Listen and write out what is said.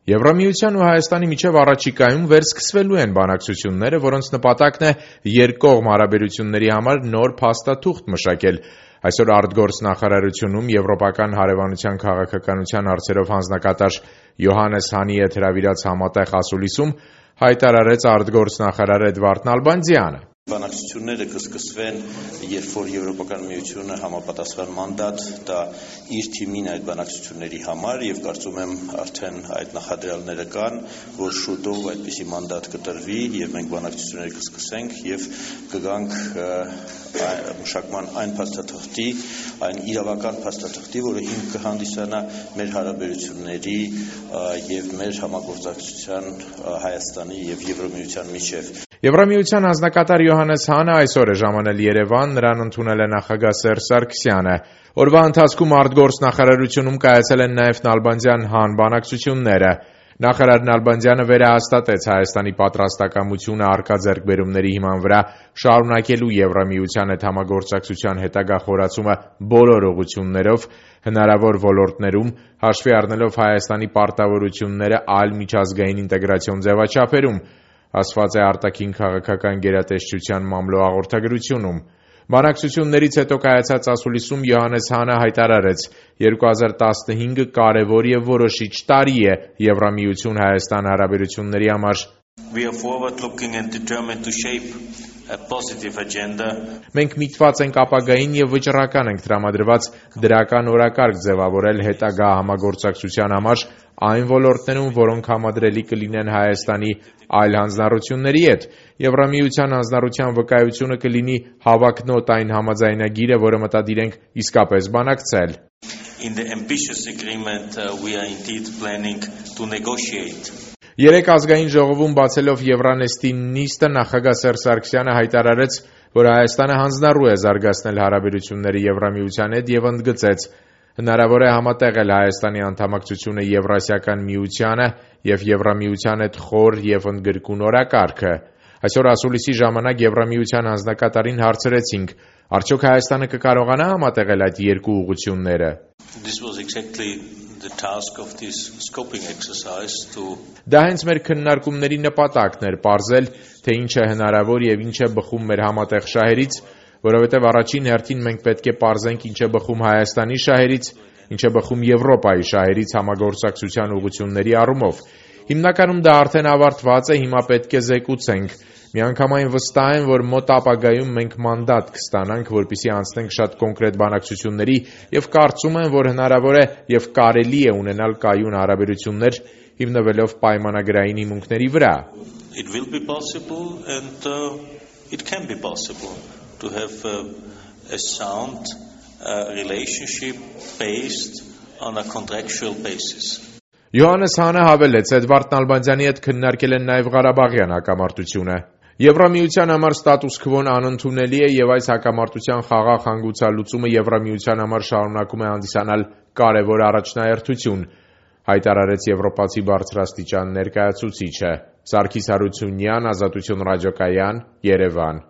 Եվրամիության ու Հայաստանի միջև առաջիկայում վերսկսվելու են բանակցությունները, որոնց նպատակն է երկկողմ հարաբերությունների համար նոր փաստաթուղթ մշակել։ Այսօր արտգործնախարարությունում Եվրոպական հարևանության քաղաքականության հարցերով հանձնակատար Յոհաննես Հանի հետ հրավիրած համատեղ ասուլիսում հայտարարեց արտգործնախարար Էդվարդ Նալբանդյանը։ Բանակցությունները կսկսվեն, երբ որ Եվրոպական միությունը համապատասխան մանդատ տա իր թիմին այդ բանակցությունների համար եւ կարծում եմ արդեն այդ նախադրյալները կան, որ շուտով այդպիսի մանդատ կտրվի եւ մենք բանակցությունները կսկսենք եւ կգանք մշակման այն փաստաթղթի, այն իրավական փաստաթղթի, որը հիմք կհանդիսանա մեր հարաբերությունների եւ մեր համագործակցության Հայաստանի եւ Եվրամիության միջեւ։ Եվրամիության հանձնակատար Յոհաննես Հանը այսօր է ժամանել Երևան, նրան ընդունել է նախագահ Սերժ Սարգսյանը։ Օրվա ընթացքում արտգործնախարարությունում կայացել են նաև Նալբանդյան-Հան բանակցությունները։ Նախարար Նալբանդյանը վերահաստատեց Հայաստանի պատրաստակամությունը առկա ձեռքբերումների հիման վրա շարունակելու Եվրամիության հետ համագործակցության հետագա խորացումը բոլոր ուղղություններով, հնարավոր ոլորտներում, հաշվի առնելով Հայաստանի պարտավորությունները այլ միջազգային ինտեգրացիոն ձևաչափերում, ասված է արտաքին քաղաքական գերատեսչության մամլո հաղորդագրությունում։ Բանակցություններից հետո կայացած ասուլիսում Յոհաննես Հանը հայտարարեց. 2015 կարևոր եւ որոշիչ տարի է Եվրամիություն-Հայաստան հարաբերությունների համար։ We are forward-looking and determined to shape a positive agenda. Մենք միտված ենք ապագային եւ վճռական ենք տրամադրված դրական օրակարգ ձևավորել հետագա համագործակցության համար այն ոլորտներում, որոնք համադրելի կլինեն Հայաստանի այլ հանձնառությունների հետ։ Եվրամիության հանձնառության վկայությունը կլինի հավակնոտ այն համաձայնագիրը, որը մտադիր ենք իսկապես բանակցել։ In the ambitious agreement we are indeed planning to negotiate. Երեկ ազգային ժողովում բացելով Եվրանեստի նիստը նախագահ Սերժ Սարգսյանը հայտարարեց, որ Հայաստանը հանձնառու է զարգացնել հարաբերությունները Եվրամիության հետ եւ ընդգծեց. հնարավոր է համատեղել Հայաստանի անդամակցությունը Եվրասիական միությանը եւ Եվրամիության հետ խոր եւ ընդգրկուն օրակարգը։ Այսօր ասուլիսի ժամանակ Եվրամիության հանձնակատարին հարցրեցինք. արդյոք Հայաստանը կկարողանա համատեղել այդ երկու ուղղությունները։ Դա հենց մեր քննարկումների նպատակն էր պարզել, թե ինչ է հնարավոր եւ ինչ է բխում մեր համատեղ շահերից, որովհետեւ առաջին հերթին մենք պետք է պարզենք ինչ է բխում Հայաստանի շահերից, ինչ է բխում Եվրոպայի շահերից համագործակցության ուղղությունների առումով։ Հիմնականում դա արդեն ավարտված է, հիմա պետք է զեկուցենք։ Միանգամայն վստահ եմ, որ մոտ ապագայում մենք մանդատ կստանանք, որպեսզի անցնենք շատ կոնկրետ բանակցությունների եւ կարծում եմ, որ հնարավոր է եւ կարելի է ունենալ կայուն հարաբերություններ հիմնվելով պայմանագրային հիմունքների վրա։ It will be possible and it can be possible to have a sound relationship based on a contractual basis. Յոհաննես Հանը հավելեց, Էդվարդ Նալբանդյանի հետ քննարկել են նաև Ղարաբաղյան հակամարտությունը։ Եվրամիության համար ստատուս քվոն անընդունելի է եւ այս հակամարտության խաղաղ հանգուցալուծումը Եվրամիության համար շարունակում է հանդիսանալ կարևոր առաջնահերթություն, հայտարարեց եվրոպացի բարձրաստիճան ներկայացուցիչը։ Սարգիս Հարությունյան, Ազատություն ռադիոկայան, Երևան։